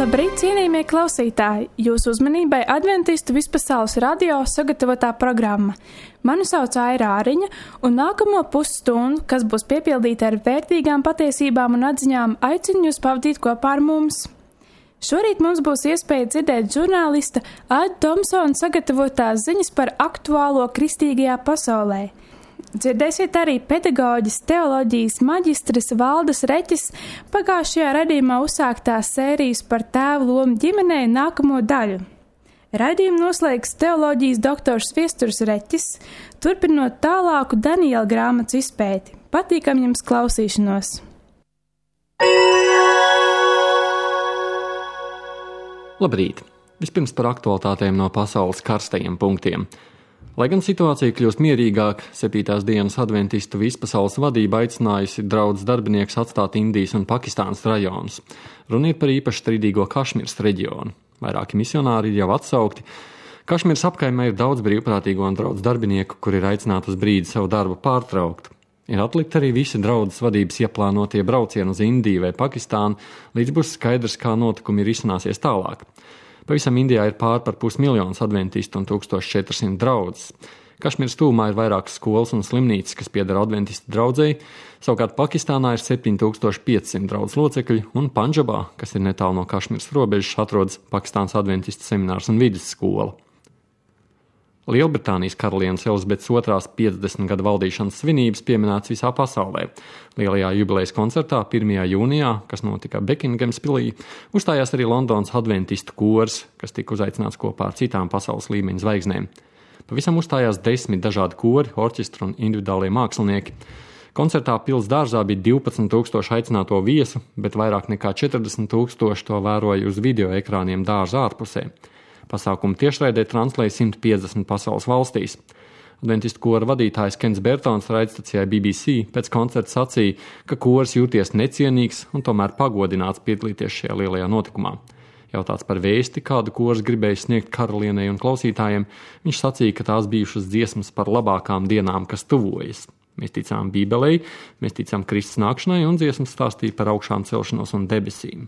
Labrīt, cienījamie klausītāji! Jūsu uzmanībai Adventistu vispasaules radio sagatavotā programma. Mani sauc Aira Āriņa, un nākamo pusstundu, kas būs piepildīta ar vērtīgām patiesībām un atziņām, aicinu jūs pavadīt kopā ar mums. Šorīt mums būs iespēja dzirdēt žurnālista Aida Tomsona sagatavotās ziņas par aktuālo kristīgajā pasaulē. Dzirdēsiet arī pedagoģijas teoloģijas maģistres Valdes Reķes pagājušajā raidījumā uzsāktās sērijas par tēvu lomu ģimenē nākamo daļu. Raidījumu noslēgs teoloģijas doktors Viesturs Reķes, turpinot tālāku Daniela grāmatas izpēti. Patīkam jums klausīšanos! Labrīt! Vispirms par aktualitātēm no pasaules karstajiem punktiem. Lai gan situācija kļūst mierīgāk, 7. dienas adventistu vispasaules vadība aicinājusi draudz darbinieks atstāt Indijas un Pakistānas rajonus. Runa ir par īpaši strīdīgo Kašmiras reģionu. Vairāki misionāri ir jau atsaukti. Kašmiras apkaimē ir daudz brīvprātīgo un draudz darbinieku, kuri ir aicināti uz brīdi savu darbu pārtraukt. Ir atlikt arī visi draudzes vadības ieplānotie braucieni uz Indiju vai Pakistānu, līdz būs skaidrs, kā notikumi ir izcināsies tālāk. Pavisam Indijā ir pār par 500 000 adventistu un 1400 draudzes. Kašmiras tūmā ir vairākas skolas un slimnīcas, kas pieder adventistu draudzei, savukārt Pakistānā ir 7500 draudzes locekļi, un Pandžabā, kas ir netālu no Kašmiras robežas, atrodas Pakistānas adventistu seminārs un vidusskola. Lielbritānijas karalienes Elizabetes II 50 gadu valdīšanas svinības pieminētas visā pasaulē. Lielajā jubilejas koncertā 1. jūnijā, kas notika Bekingams pilī, uzstājās arī Londonas adventistu kors, kas tika uzaicināts kopā ar citām pasaules līmeņa zvaigznēm. Pavisam uzstājās 10 dažādi kori, orķestri un individuālie mākslinieki. Koncertā pils dārzā bija 12 000 aicināto viesu, bet vairāk nekā 40 000 to vēroja uz video ekrāniem dārza ārpusē. Pasākumu tiešraidē translēja 150 pasaules valstīs. Adventistu kora vadītājs Kens Bertons raidstacijai BBC pēc koncerta sacīja, ka kors jūties necienīgs un tomēr pagodināts piedalīties šajā lielajā notikumā. Jautāts par vēsti, kādu kors gribēja sniegt karalienei un klausītājiem, viņš sacīja, ka tās bijušas dziesmas par labākām dienām, kas tuvojas. Mēs ticām Bībelei, mēs ticām Kristus nākšanai un dziesmas stāstīja par augšām celšanos un debesīm.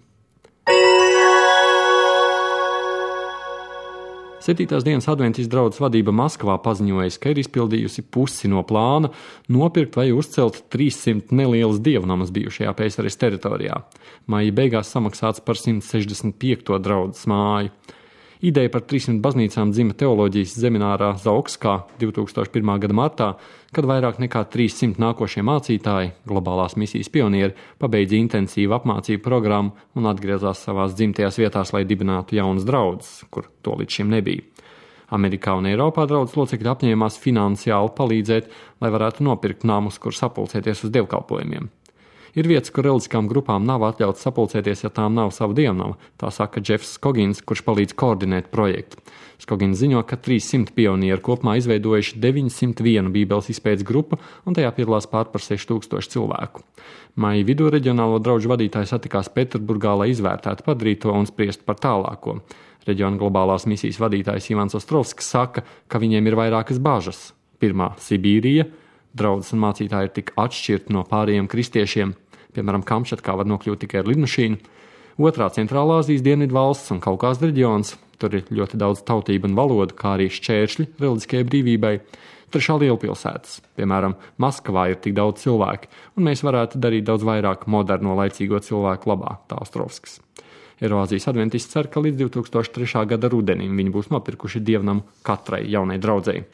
7. dienas adventistu draudzes vadība Maskavā paziņojas, ka ir izpildījusi pusi no plāna nopirkt vai uzcelt 300 nelielas dievnamas bijušajā PSRS teritorijā. Maija beigās samaksāts par 165. draudzes māju. Ideja par 300 baznīcām dzima teoloģijas seminārā Zaokskā 2001. gada martā, kad vairāk nekā 300 nākošie mācītāji, globālās misijas pionieri, pabeidza intensīvu apmācību programmu un atgriezās savās dzimtajās vietās, lai dibinātu jaunas draudzes, kur to līdz šim nebija. Amerikā un Eiropā draudzes locekļi apņēmās finansiāli palīdzēt, lai varētu nopirkt namus, kur sapulcēties uz dievkalpojumiem. Ir vietas, kur reliģiskām grupām nav atļauts sapulcēties, ja tām nav sava dievnama, tā saka Jeffs Skogins, kurš palīdz koordinēt projektu. Skogins ziņo, ka 300 pionieri kopumā izveidojuši 901 bībeles izpētes grupu, un tajā piedalās pār par 6000 cilvēku. Maija vidū reģionālo draugu vadītāji satikās Pēterburgā, lai izvērtētu padarīto un spriest par tālāko. Reģiona globālās misijas vadītājs Ivans Ostrovskis saka, ka viņiem ir vairākas bažas. Pirmā - Sibīrija. Draudzes un mācītāji ir tik atšķirti no pārējiem kristiešiem, piemēram, Kamčatkā var nokļūt tikai ar lidmašīnu. Otrā - Centrālā Azijas dienvidu valsts un Kaukās reģions, tur ir ļoti daudz tautību un valodu, kā arī šķēršļi reliģiskajai brīvībai. Trešā - lielpilsētas, piemēram, Maskavā ir tik daudz cilvēku, un mēs varētu darīt daudz vairāk moderno laicīgo cilvēku labā, tā Ostrovskis. Eiroazijas adventisti cer, ka līdz 2003. gada rudenim viņi būs nopirkuši dievnamu katrai jaunai draudzei.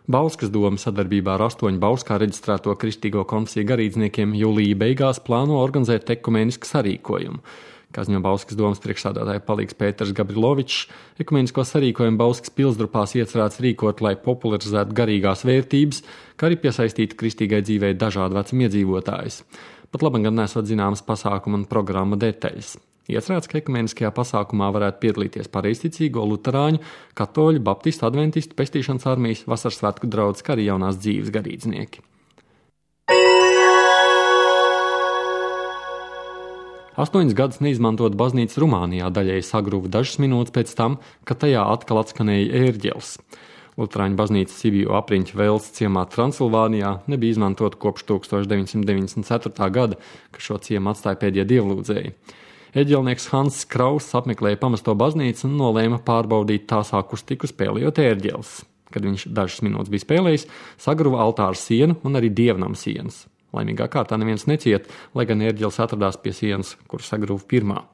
Bauskas doma sadarbībā ar 8 Bauskā reģistrēto kristīgo konfesiju garīdzniekiem jūlija beigās plāno organizēt ekumēnisku sarīkojumu. Kā ziņo Bauskas domas priekšsādātāja palīgs Pēters Gabrilovičs, ekumēnisko sarīkojumu Bauskas pilsdrupās iecerēts rīkot, lai popularizētu garīgās vērtības, kā arī piesaistītu kristīgai dzīvei dažādu vecumu iedzīvotājus. Pat labi gan nesot zināmas pasākuma un programma detaļas. Iecerēts, ka ekumēniskajā pasākumā varētu piedalīties pareizticīgo, luterāņu, katoļu, baptistu, adventistu, pestīšanas armijas, vasaras svētku draudzes, kā arī jaunās dzīves garīdznieki. 8 gadus neizmantot baznīcas Rumānijā daļēji sagruva dažas minūtes pēc tam, kad tajā atkal atskanēja ērģeles. Luterāņu baznīca Sibiju apriņķa Vēles ciemā Transilvānijā nebija izmantota kopš 1994. gada, kad šo ciemu atstāja pēdējie dievlūdzēji. Ērģelnieks Hanss Krauss apmeklēja pamesto baznīcu un nolēma pārbaudīt tās akustiku spēlējot ērģeles. Kad viņš dažas minūtes bija spēlējis, sagruva altāra sienu un arī dievnam sienas. Laimīgā kārtā neviens neciet, lai gan ērģeles atradās pie sienas, kur sagruva pirmā.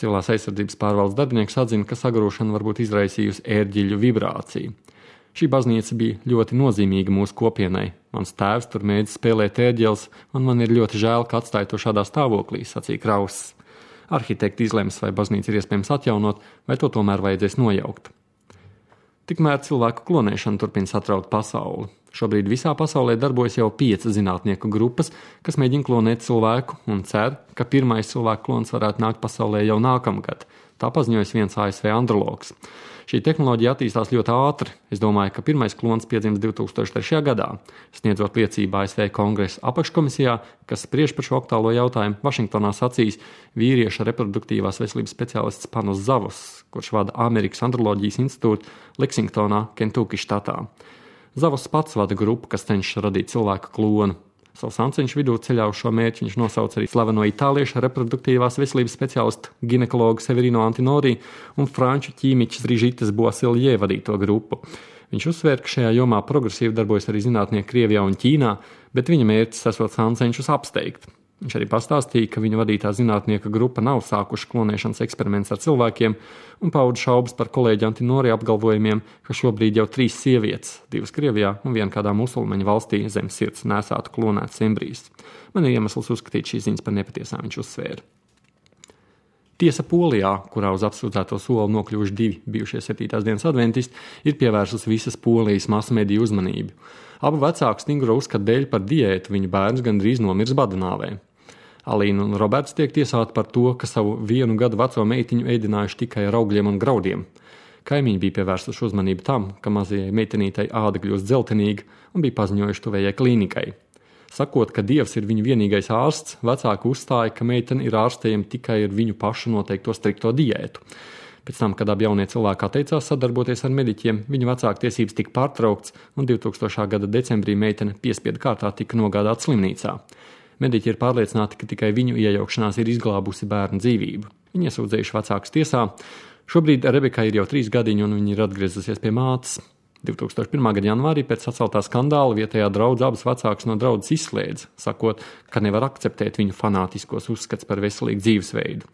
Civilās aizsardzības pārvaldes darbinieks atzina, ka sagrūšana varbūt izraisījusi ērģeļu vibrāciju. Šī baznīca bija ļoti nozīmīga mūsu kopienai. Mans tēvs tur mēdz spēlēt ērģeles, un man ir ļoti žēl, ka atstāja to šādā stāvoklī, sacīja Krauss. Arhitekti izlems, vai baznīca ir iespējams atjaunot, vai to tomēr vajadzēs nojaukt. Tikmēr cilvēku klonēšana turpina satraut pasauli. Šobrīd visā pasaulē darbojas jau 5 zinātnieku grupas, kas mēģina klonēt cilvēku un cer, ka pirmais cilvēku klons varētu nākt pasaulē jau nākamgad. Tā paziņojas viens ASV andrologs. Šī tehnoloģija attīstās ļoti ātri. Es domāju, ka pirmais klons piedzims 2003. gadā. Sniedzot liecību ASV Kongresa apakškomisijā, kas spriež par šo aktuālo jautājumu, Vašingtonā sacīs vīrieša reproduktīvās veselības speciālists Panos Zavos, kurš vada Amerikas androloģijas institūtu Leksingtonā, Kentucky štatā. Zavos pats vada grupu, kas cenšas radīt cilvēku klonu. Savu sanceņšu vidū ceļā uz šo mērķi viņš nosauca arī slaveno itāliešu reproduktīvās veselības speciālistu ginekologu Severino Antinori un franču ķīmiķis Brigittes Boisselier vadīto grupu. Viņš uzsvēra, ka šajā jomā progresīvi darbojas arī zinātnieki Krievijā un Ķīnā, bet viņa mērķis esot sanceņšus apsteigt. Viņš arī pastāstīja, ka viņa vadītā zinātnieka grupa nav sākuši klonēšanas eksperiments ar cilvēkiem un pauda šaubas par kolēģi Antinori apgalvojumiem, ka šobrīd jau 3 sievietes, 2 Krievijā un 1 kādā musulmaņu valstī zem sirds nesātu klonētas embrijus. Man ir iemesls uzskatīt šīs ziņas par nepatiesām, viņš uzsvēra. Tiesa Polijā, kurā uz apsūdzēto soli nokļuvuši 2 bijušie 7. dienas adventisti, ir pievērsusi visas Polijas masmediju uzmanību. Abu vecāku stingro uzskatu dēļ par diētu viņu bērns gandrīz nomirs badnāvē. Alīna un Roberts tiek tiesāti par to, ka savu 1 gadu veco meitiņu ēdinājuši tikai ar augļiem un graudiem. Kaimiņi bija pievērsuši uzmanību tam, ka mazajai meitenītei āda kļūst dzeltenīga un bija paziņojuši tuvējai klīnikai. Sakot, ka Dievs ir viņu vienīgais ārsts, vecāki uzstāja, ka meitene ir ārstējama tikai ar viņu pašu noteikto strikto diētu. Pēc tam, kad abi jaunie cilvēki atteicās sadarboties ar mediķiem, viņu vecāku tiesības tika pārtraukts un 2000. gada decembrī meitene piespiedu kārtā tika nogādāta slimnīcā. Mediķi ir pārliecināti, ka tikai viņu iejaukšanās ir izglābusi bērnu dzīvību. Viņi iesūdzējuši vecākus tiesā. Šobrīd Rebekai ir jau 3 gadiņi un viņa ir atgriezusies pie mātes. 2001. gada janvārī pēc saceltā skandāla vietējā draudze abas vecākus no draudzes izslēdza, sakot, ka nevar akceptēt viņu fanātiskos uzskats par veselīgu dzīvesveidu.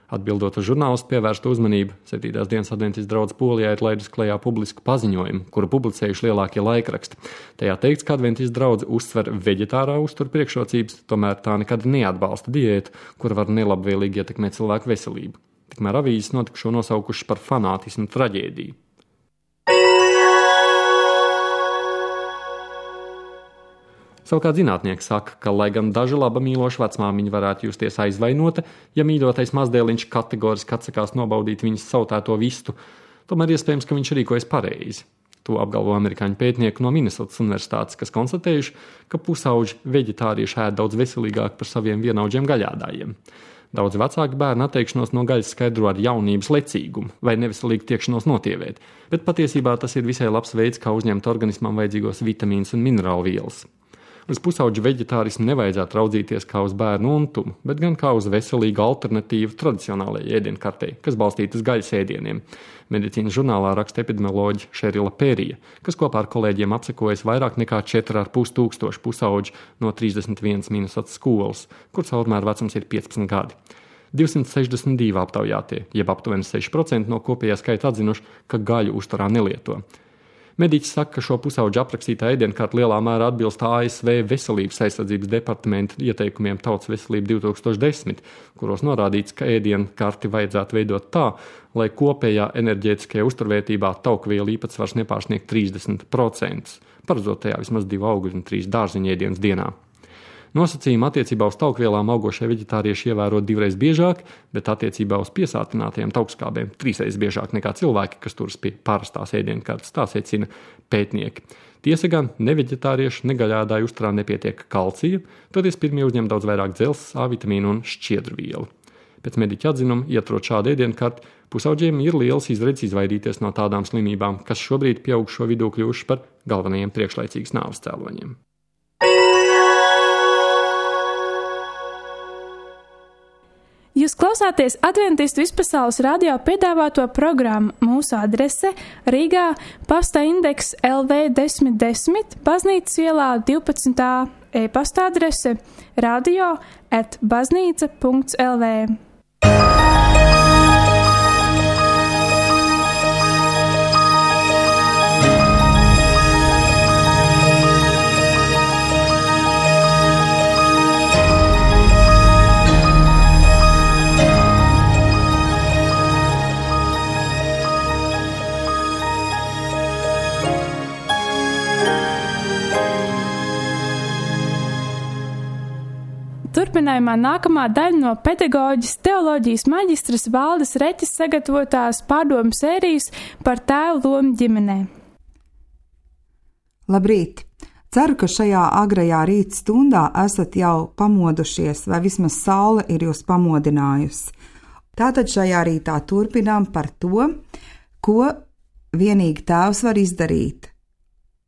Atbildot uz žurnālistu pievērstu uzmanību, 7. dienas adventistu draudze Polijā ir laidus klajā publisku paziņojumu, kuru publicējuši lielākie laikraksti. Tajā teikts, ka adventistu draudze uztver veģetārā uztura priekšrocības, tomēr tā nekad neatbalsta diētu, kura var nelabvēlīgi ietekmēt cilvēku veselību. Tikmēr avīzes notikušo nosaukuši par fanātismu traģēdiju. Savukārt zinātnieki saka, ka, lai gan daži laba mīloša vecmāmiņa varētu justies aizvainota, ja mīļotais mazdēliņš kategoriski atsakās nobaudīt viņas sautēto vistu, tomēr iespējams, ka viņš rīkojas pareizi. To apgalvo amerikāņu pētnieki no Minnesotas universitātes, kas konstatējuši, ka pusauģi veģetārieši ēd daudz veselīgāk par saviem vienaudžiem gaļādājiem. Daudz vecāki bērni atteikšanos no gaļas skaidro ar jaunības lecīgumu vai neveselīgu tiekšanos notievēt, bet patiesībā tas ir visai labs veids, kā uzņemt organismam vajadzīgos vitamīnus un minerālu vielas. Uz pusauģu veģetārismu nevajadzētu raudzīties kā uz bērnu untumu, bet gan kā uz veselīgu alternatīvu tradicionālajai ēdienkartei, kas balstīta uz gaļas ēdieniem. Medicīnas žurnālā raksta epidemioloģe Šerila Pērija, kas kopā ar kolēģiem apsekojas vairāk nekā 4,5 tūkstoši pusauģu no 31 Minnesotas skolas, kur caurmēr vecums ir 15 gadi. 262 aptaujātie, jeb aptuveni 6% no kopējā skaita atzinuši, ka gaļu uzturā nelieto. Mediķis saka, ka šo pusauģu aprakstītā ēdienkārta lielā mērā atbilst ASV Veselības aizsardzības departamenta ieteikumiem Tautas veselība 2010, kuros norādīts, ka ēdienkarti vajadzētu veidot tā, lai kopējā enerģētiskajā uzturvērtībā taukvielu īpatsvars nepārsniegt 30%, paredzot tajā vismaz 2 augļu un 3 dārziņu ēdienus dienā. Nosacījumi attiecībā uz taukvielām augošie veģetārieši ievēro 2 reizes biežāk, bet attiecībā uz piesātinātajiem taukskābiem 3 reizes biežāk nekā cilvēki, kas turas pie parastās ēdienkartes, tā secina pētnieki. Tiesa gan, ne veģetārieši, ne gaļādāju uzturā nepietiek kalcija, toties pirmie uzņem daudz vairāk dzelzs, A vitamīnu un šķiedrvielu. Pēc mediķa atzinuma, ietrot šādu ēdienkarti, pusauģiem ir liels izredzes izvairīties no tādām slimībām, kas šobrīd pieaugušo vidū kļuvuši par galvenajiem priekšlaicīgas nāves cēloņiem. Jūs Jūs klausāties Adventistu Vispasaules radio piedāvāto programmu. Mūsu adrese Rīgā, pasta indeks LV 1010, Baznīcas ielā 12. E-pasta adrese radio@baznīca.lv. Turpinājumā nākamā daļa no pedagoģijas teoloģijas maģistras Valdes Reķes sagatavotās pārdomu sērijas par tēvu lomu ģimenē. Labrīt! Ceru, ka šajā agrajā rīta stundā esat jau pamodušies, vai vismaz saule ir jūs pamodinājusi. Tātad šajā rītā turpinām par to, ko vienīgi tēvs var izdarīt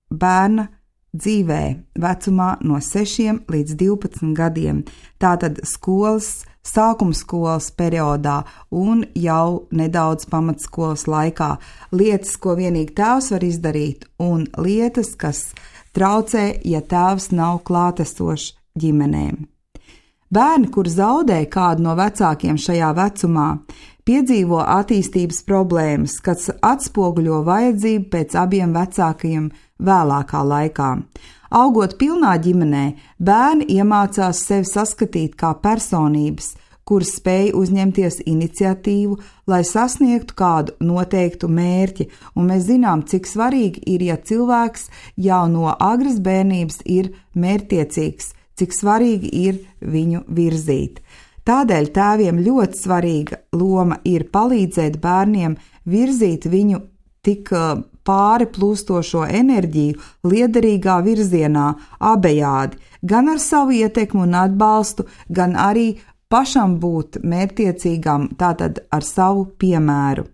bērna dzīvē vecumā no 6 līdz 12 gadiem, tātad sākuma skolas periodā un jau nedaudz pamatskolas laikā. Lietas, ko vienīgi tēvs var izdarīt, un lietas, kas traucē, ja tēvs nav klātesošs ģimenēm. Bērni, kur zaudē kādu no vecākiem šajā vecumā, piedzīvo attīstības problēmas, kas atspoguļo vajadzību pēc abiem vecākajiem vēlākā laikā. Augot pilnā ģimenē, bērni iemācās sevi saskatīt kā personības, kuras spēj uzņemties iniciatīvu, lai sasniegtu kādu noteiktu mērķi, un mēs zinām, cik svarīgi ir, ja cilvēks jau no agras bērnības ir mērķtiecīgs, cik svarīgi ir viņu virzīt. Tādēļ tēviem ļoti svarīga loma ir palīdzēt bērniem virzīt viņu tik pāri plūstošo enerģiju liederīgā virzienā abejādi, gan ar savu ietekmu un atbalstu, gan arī pašam būt mērķtiecīgam, tātad ar savu piemēru.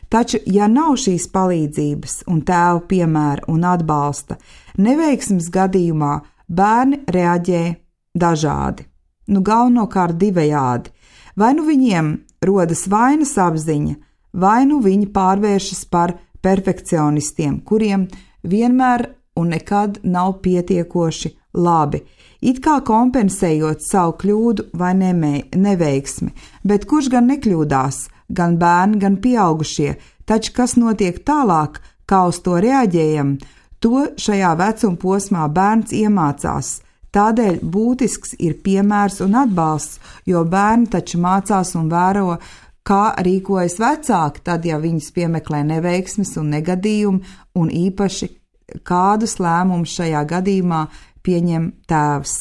Taču, ja nav šīs palīdzības un tēva piemēra un atbalsta, neveiksmes gadījumā bērni reaģē dažādi, galvenokārt divējādi. Vai nu viņiem rodas vainas apziņa, vai nu viņi pārvēršas par perfekcionistiem, kuriem vienmēr un nekad nav pietiekoši labi, it kā kompensējot savu kļūdu vai neveiksmi, bet kurš gan nekļūdās, gan bērni, gan pieaugušie, taču kas notiek tālāk, kā uz to reaģējam, to šajā vecuma posmā bērns iemācās. Tādēļ būtisks ir piemērs un atbalsts, jo bērni taču mācās un vēro, kā rīkojas vecāki, tad, ja viņus piemeklē neveiksmes un negadījumi, un īpaši kādus lēmumus šajā gadījumā pieņem tēvs.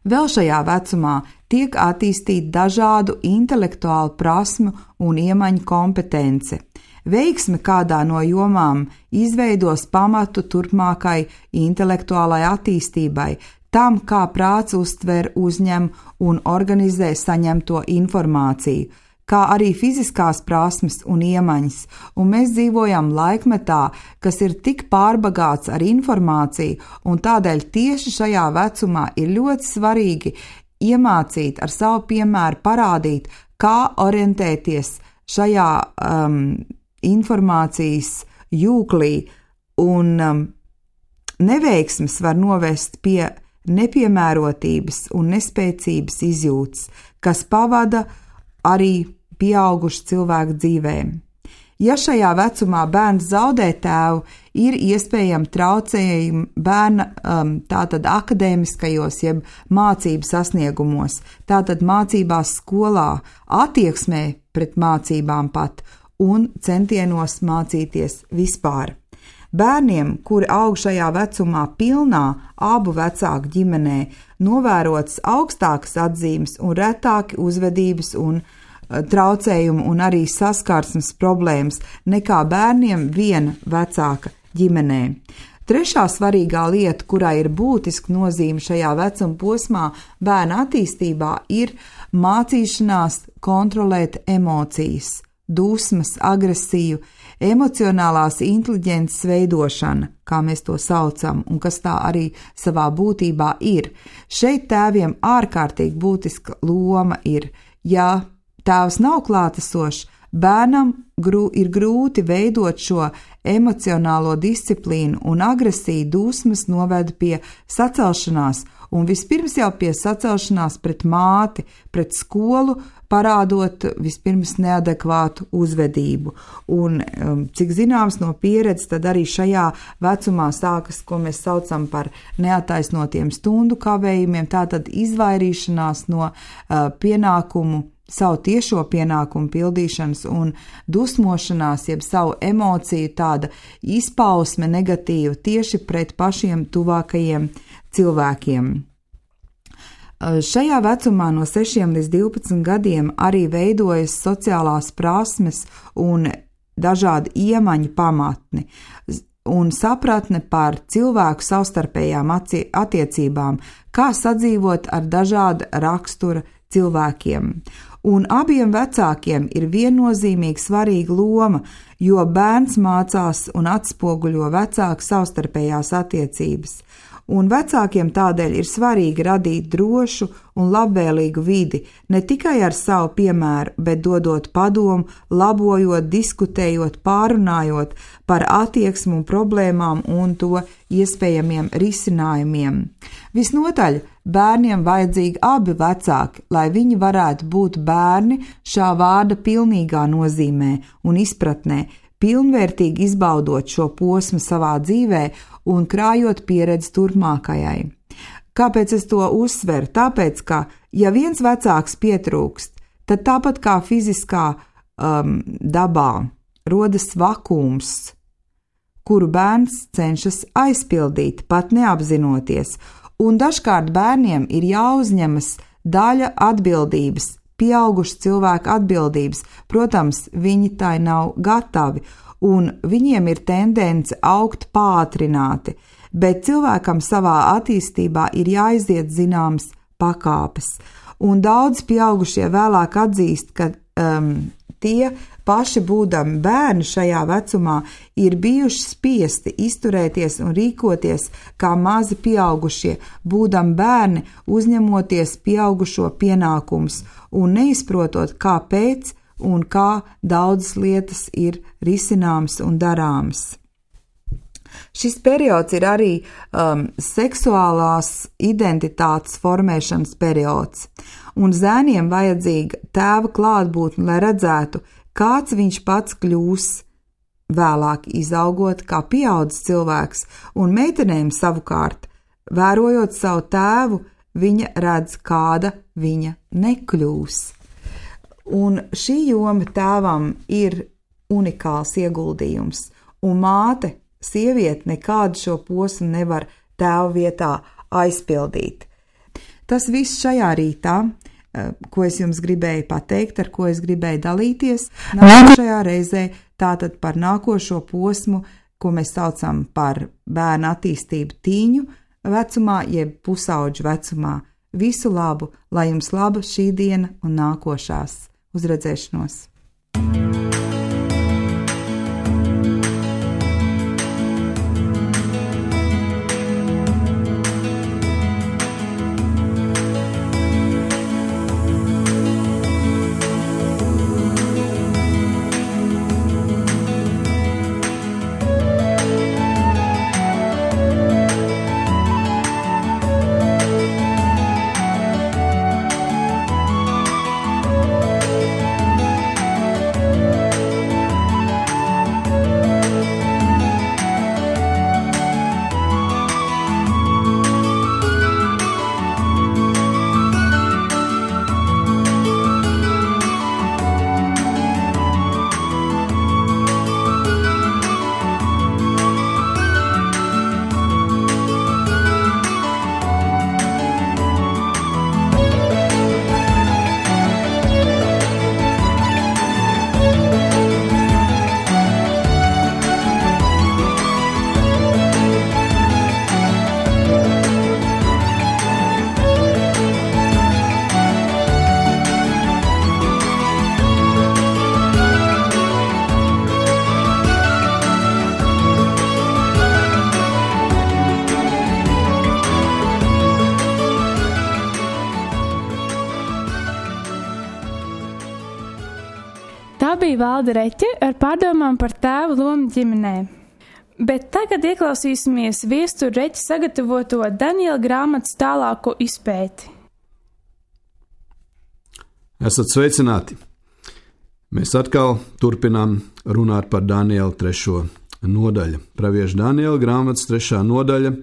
Vēl šajā vecumā tiek attīstīta dažādu intelektuālu prasmu un iemaņu kompetence. Veiksme kādā no jomām izveidos pamatu turpmākai intelektuālai attīstībai, tam, kā prāts uztver, uzņem un organizē saņemto informāciju, kā arī fiziskās prasmes un iemaņas, un mēs dzīvojam laikmetā, kas ir tik pārbagāts ar informāciju, un tādēļ tieši šajā vecumā ir ļoti svarīgi iemācīt ar savu piemēru parādīt, kā orientēties šajā informācijas jūklī, un neveiksmes var novest pie nepiemērotības un nespēcības izjūtas, kas pavada arī pieaugušu cilvēku dzīvēm. Ja šajā vecumā bērns zaudē tēvu, ir iespējami traucējumi bērna tātad akadēmiskajos jeb mācību sasniegumos, tātad mācībās skolā, attieksmē pret mācībām pat un centienos mācīties vispār. Bērniem, kuri aug šajā vecumā pilnā abu vecāku ģimenē, novērotas augstākas atzīmes un retāki uzvedības un traucējumu un arī saskarsmes problēmas nekā bērniem viena vecāka ģimenē. Trešā svarīgā lieta, kurai ir būtiska nozīme šajā vecuma posmā bērna attīstībā, ir mācīšanās kontrolēt emocijas, dusmas, agresiju, emocionālās inteliģences veidošana, kā mēs to saucam, un kas tā arī savā būtībā ir. Šeit tēviem ārkārtīgi būtiska loma ir Ja tēvs nav klātesošs, bērnam ir grūti veidot šo emocionālo disciplīnu, un agresija, dusmas noved pie sacelšanās, un vispirms jau pie sacelšanās pret māti, pret skolu, parādot vispirms neadekvātu uzvedību. Un, cik zināms no pieredzes, tad arī šajā vecumā sākas, ko mēs saucam par neattaisnotiem stundu kavējumiem, tātad izvairīšanās no savu tiešo pienākumu pildīšanas un dusmošanās, jeb savu emociju tāda izpausme negatīva tieši pret pašiem tuvākajiem cilvēkiem. Šajā vecumā no 6 līdz 12 gadiem arī veidojas sociālās prasmes un dažādi iemaņu pamatni un sapratne par cilvēku savstarpējām attiecībām, kā sadzīvot ar dažāda rakstura cilvēkiem. Un abiem vecākiem ir viennozīmīgi svarīga loma, jo bērns mācās un atspoguļo vecāku savstarpējās attiecības. Un vecākiem tādēļ ir svarīgi radīt drošu un labvēlīgu vidi, ne tikai ar savu piemēru, bet dodot padomu, labojot, diskutējot, pārunājot par attieksmu un problēmām un to iespējamiem risinājumiem. Visnotaļ bērniem vajadzīgi abi vecāki, lai viņi varētu būt bērni šā vārda pilnīgā nozīmē un izpratnē, pilnvērtīgi izbaudot šo posmu savā dzīvē un krājot pieredzi turpmākajai. Kāpēc es to uzsveru? Tāpēc, ka ja viens vecāks pietrūkst, tad tāpat kā fiziskā dabā rodas vakums, kuru bērns cenšas aizpildīt, pat neapzinoties, un dažkārt bērniem ir jāuzņemas daļa atbildības, pieaugušu cilvēku atbildības. Protams, viņi tai nav gatavi, un viņiem ir tendence augt pātrināti, bet cilvēkam savā attīstībā ir jāiziet zināmas pakāpes. Un daudz pieaugušie vēlāk atzīst, ka tie paši būdami bērni šajā vecumā ir bijuši spiesti izturēties un rīkoties kā mazi pieaugušie, būdami bērni, uzņemoties pieaugušo pienākumus un neizprotot, kāpēc un kā daudzas lietas ir risināmas un darāmas. Šis periods ir arī seksuālās identitātes formēšanas periods, un zēniem vajadzīga tēva klātbūtne, lai redzētu, kāds viņš pats kļūs vēlāk izaugot kā pieaudzis cilvēks, un meitenēm savukārt, vērojot savu tēvu, viņa redz, kāda viņa nekļūs. Un šī joma tēvam ir unikāls ieguldījums, un māte, sieviete nekādu šo posmu nevar tēva vietā aizpildīt. Tas viss šajā rītā, ko es jums gribēju pateikt, ar ko es gribēju dalīties, nākošajā reizē tātad par nākošo posmu, ko mēs saucam par bērnu attīstību tīņu vecumā, jeb pusauģu vecumā. Visu labu, lai jums laba šī diena un nākošās. Uz redzēšanos! Tā bija Valde Reķe ar pārdomām par tēva lomu ģimenē. Bet tagad ieklausīsimies Viestura Reķa sagatavoto Daniela grāmatas tālāko izpēti. Esat sveicināti! Mēs atkal turpinām runāt par Daniela 3. nodaļu. Pravieša Daniela grāmatas 3. nodaļa.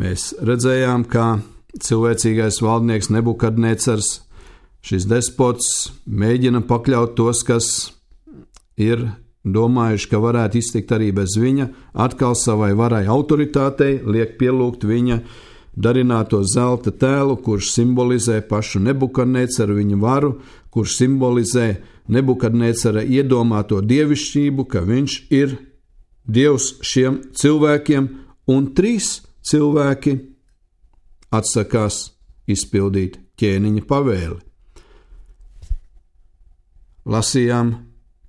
Mēs redzējām, kā cilvēcīgais valdnieks Nebukadnecars, šis despots, mēģina pakļaut tos, kas ir domājuši, ka varētu iztikt arī bez viņa, atkal savai varai autoritātei, liek pielūgt viņa darināto zelta tēlu, kurš simbolizē pašu Nebukadnecaru, viņa varu, kurš simbolizē Nebukadnecara iedomāto dievišķību, ka viņš ir dievs šiem cilvēkiem, un 3 cilvēki atsakās izpildīt ķēniņa pavēli. Lasījām,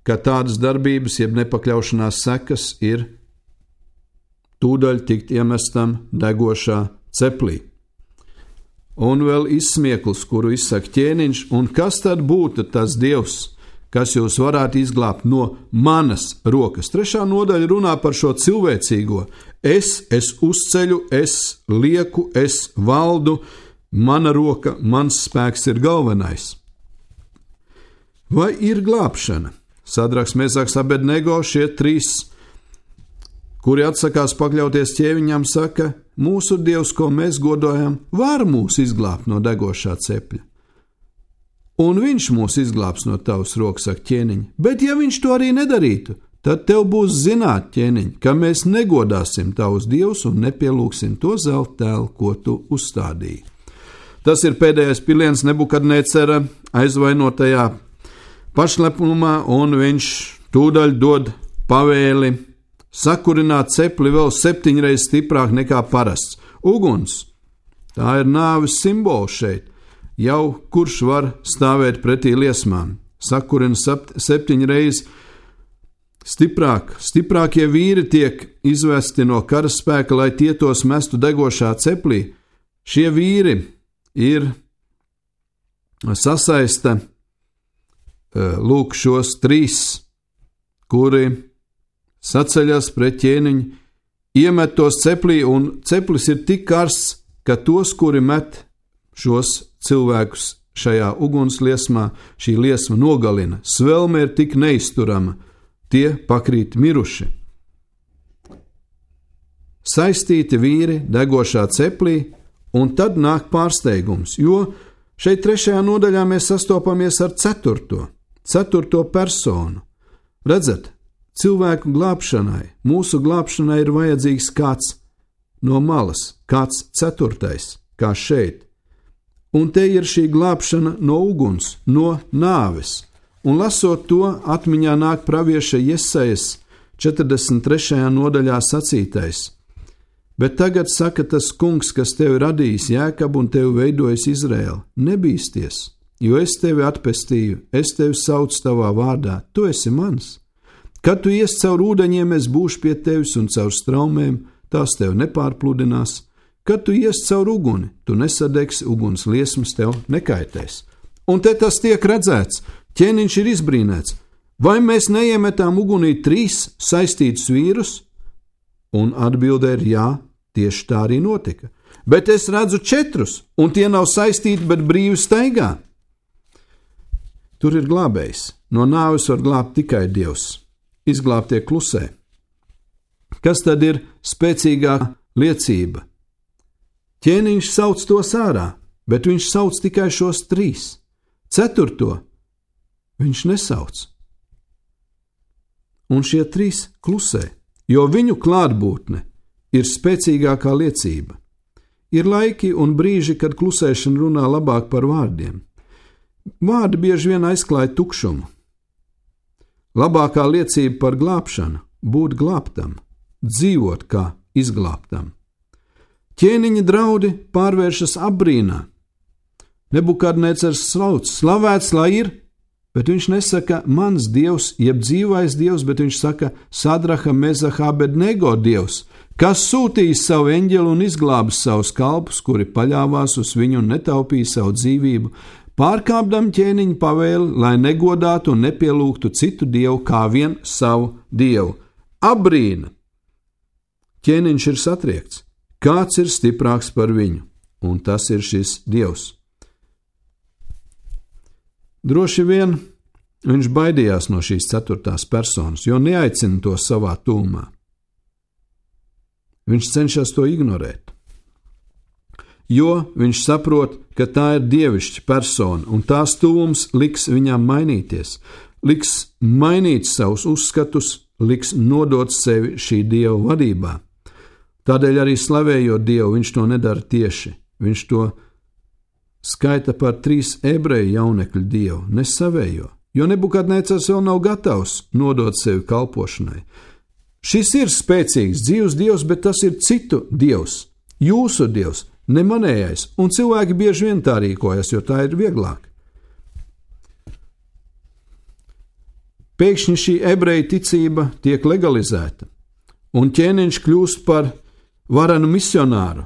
ka tādas darbības, jeb nepakļaušanās sekas ir tūdaļ tikt iemestam degošā ceplī. Un vēl izsmiekls, kuru izsaka ķēniņš, un kas tad būtu tas dievs, kas jūs varētu izglābt no manas rokas? 3. nodaļa runā par šo cilvēcīgo. Es uzceļu, es lieku, es valdu, mana roka, mans spēks ir galvenais. Vai ir glābšana? Sadraks, Mesaks, Abednego, šie 3, kuri atsakās pakļauties ķēniņam, saka, mūsu dievs, ko mēs godājam, var mūs izglābt no degošā cepļa. Un viņš mūs izglābs no tavas rokas, saka ķēniņ, bet ja viņš to arī nedarītu, tad tev būs zināt, ķēniņ, ka mēs negodāsim tavus dievus un nepielūgsim to zelta tēlu, ko tu uzstādīji. Tas ir pēdējais piliens Nebukadnecera aizvainotajā pašlepnumā, un viņš tūdaļ dod pavēli sakurināt cepli vēl 7 reizes stiprāk nekā parasts. Uguns, tā ir nāves simbols šeit. Jau kurš var stāvēt pretī liesmām? Sakurina 7 reizes stiprāk. Stiprākie vīri tiek izvesti no karaspēka, lai tie tos mestu degošā ceplī. Šie vīri ir sasaista lūk šos 3, kuri saceļas pret ķēniņu, iemet tos ceplī, un ceplis ir tik karsts, ka tos, kuri met šos cilvēkus šajā ugunsliesmā, šī liesma nogalina. Svelme ir tik neizturama, tie pakrīt miruši. Saistīti vīri degošā ceplī, un tad nāk pārsteigums, jo šeit 3. nodaļā mēs sastopamies ar 4. personu. Redzat, cilvēku glābšanai, mūsu glābšanai ir vajadzīgs kāds no malas, kāds 4. kā šeit. Un te ir šī glābšana no uguns, no nāves. Un lasot to, atmiņā nāk pravieša Jesajas 43. nodaļā sacītais. Bet tagad saka tas kungs, kas tevi radījis Jēkabu un tevi veidojis Izraēlu, nebīsties, jo es tevi atpestīju, es tevi saucu tavā vārdā, tu esi mans. Kad tu ies caur ūdeņiem, es būšu pie tevis, un caur straumēm tās tevi nepārpludinās. Kad tu ies caur uguni, tu nesadegsi, uguns liesmas tev nekaitēs. Un te tas tiek redzēts, ķēniņš ir izbrīnēts. Vai mēs neiemetām ugunī 3 saistītus vīrus? Un atbilde ir jā, tieši tā arī notika. Bet es redzu 4, un tie nav saistīti, bet brīvi staigā. Tur ir glābējs. No nāves var glābt tikai Dievs. Izglābtie klusē. Kas tad ir spēcīgā liecība? Ķēniņš sauc tos ārā, bet viņš sauc tikai šos 3. 4. viņš nesauc. Un šie 3 klusē, jo viņu klātbūtne ir spēcīgākā liecība. Ir laiki un brīži, kad klusēšana runā labāk par vārdiem. Vārdi bieži vien aizklāj tukšumu. Labākā liecība par glābšanu – būt glābtam, dzīvot kā izglābtam. Ķēniņa draudi pārvēršas apbrīnā. Nebukadnecars sauc, slavēts lai ir, bet viņš nesaka mans dievs, jeb dzīvais dievs, bet viņš saka Sadraha, Mesaha, Abednego dievs, kas sūtīs savu eņģeli un izglābs savus kalpus, kuri paļāvās uz viņu un netaupīja savu dzīvību pārkāpdam ķēniņa pavēli, lai negodātu un nepielūgtu citu dievu kā vien savu dievu. Abrīna! Ķēniņš ir satriekts. Kāds ir stiprāks par viņu? Un tas ir šis dievs. Droši vien viņš baidījās no šīs ceturtās personas, jo neaicina to savā tūmā. Viņš cenšas to ignorēt, jo viņš saprot, ka tā ir dievišķa persona, un tās tuvums liks viņam mainīties, liks mainīt savus uzskatus, liks nodot sevi šī dieva vadībā. Tādēļ arī slavējot Dievu, viņš to nedara tieši. Viņš to skaita par 3 ebreju jaunekļu dievu, ne savējo, jo Nebukadnecars vēl nav gatavs nodot sevi kalpošanai. Šis ir spēcīgs, dzīvs dievs, bet tas ir citu dievs, jūsu dievs, ne manējais, un cilvēki bieži vien tā rīkojas, jo tā ir vieglāk. Pēkšņi šī ebreju ticība tiek legalizēta, un ķēniņš kļūst par varenu misionāru.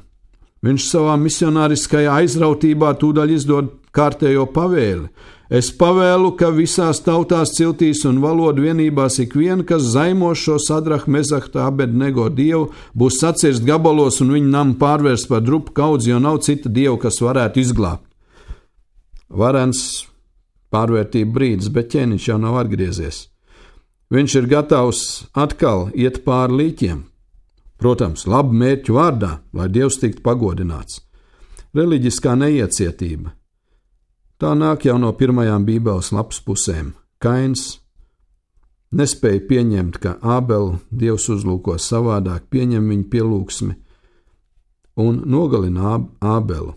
Viņš savā misionāriskajā aizrautībā tūdaļ izdod kārtējo pavēli. Es pavēlu, ka visās tautās, ciltīs un valodu vienībās ikvien, kas zaimo šo Sadrahu, Mezahtu, Abednego dievu, būs sacirst gabalos un viņu namu pārvērst par drupu kaudzi, jo nav cita dieva, kas varētu izglābt. Varens pārvērtība brīdis, bet ķēniņš jau nav atgriezies. Viņš ir gatavs atkal iet pāri līķiem. Protams, labu mērķu vārdā, lai Dievs tiktu pagodināts. Reliģiskā neiecietība. Tā nāk jau no pirmajām Bībeles lapas pusēm. Kains nespēja pieņemt, ka Ābelu Dievs uzlūko savādāk, pieņem viņa pielūgsmi un nogalina Ābelu.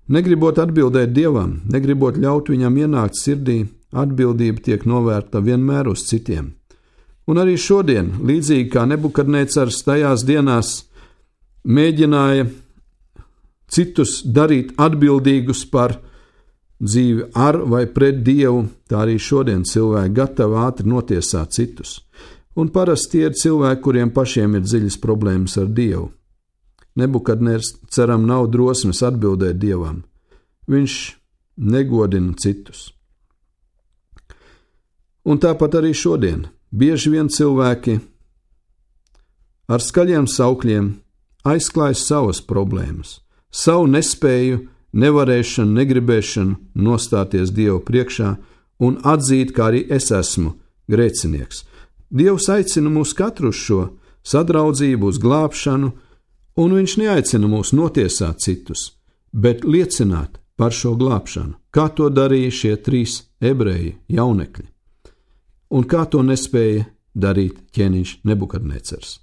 Negribot atbildēt Dievam, negribot ļaut viņam ienākt sirdī, atbildība tiek novērta vienmēr uz citiem. Un arī šodien, līdzīgi kā Nebukadnecars tajās dienās mēģināja citus darīt atbildīgus par dzīvi ar vai pret Dievu, tā arī šodien cilvēki gatavi ātri notiesāt citus. Un parasti tie ir cilvēki, kuriem pašiem ir dziļas problēmas ar Dievu. Nebukadnecaram nav drosmes atbildēt Dievam. Viņš negodina citus. Un tāpat arī šodien. Bieži vien cilvēki ar skaļiem saukļiem aizklāj savas problēmas, savu nespēju, nevarēšanu, negribēšanu nostāties Dievu priekšā un atzīt, kā arī es esmu grēcinieks. Dievs aicina mūs katru uz šo sadraudzību, uz glābšanu, un viņš neaicina mūs notiesāt citus, bet liecināt par šo glābšanu, kā to darīja šie 3 ebreji jaunekļi. Un kā to nespēja darīt ķēniņš Nebukadnecars.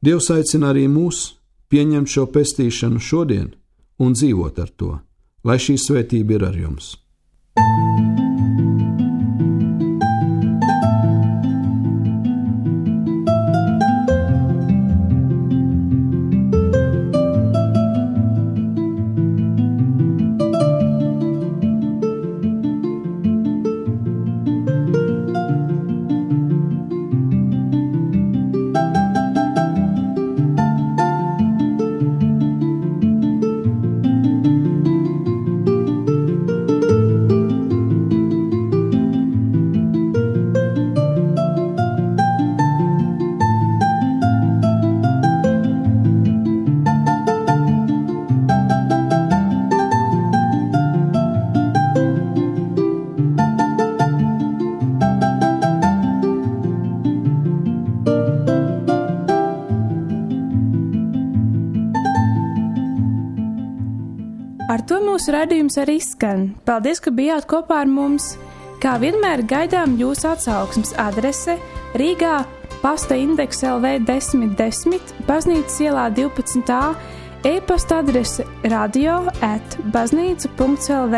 Dievs aicina arī mūs pieņemt šo pestīšanu šodien un dzīvot ar to, lai šī svētība ir ar jums. Ar to mūsu raidījums arī skan. Paldies, ka bijāt kopā ar mums. Kā vienmēr gaidām jūsu atsauksmes adrese Rīgā pasta indeks LV 1010, Baznīcas ielā 12a, e-pasta adrese radio@baznīca.lv.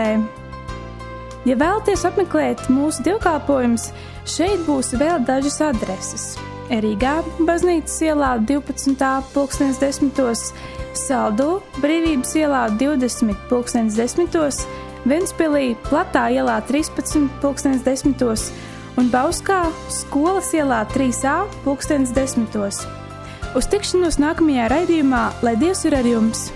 Ja vēlaties apmeklēt mūsu dievkalpojumus, šeit būs vēl dažas adreses. Rīgā Baznīcas ielā 12a, 10:10, Saldū, Brīvības ielā 20:10, Ventspilī, Platā ielā 13:10 un Bauskā, Skolas ielā 3a, 10:10. Uz tikšanos nākamajā raidījumā, lai Dievs ir ar jums!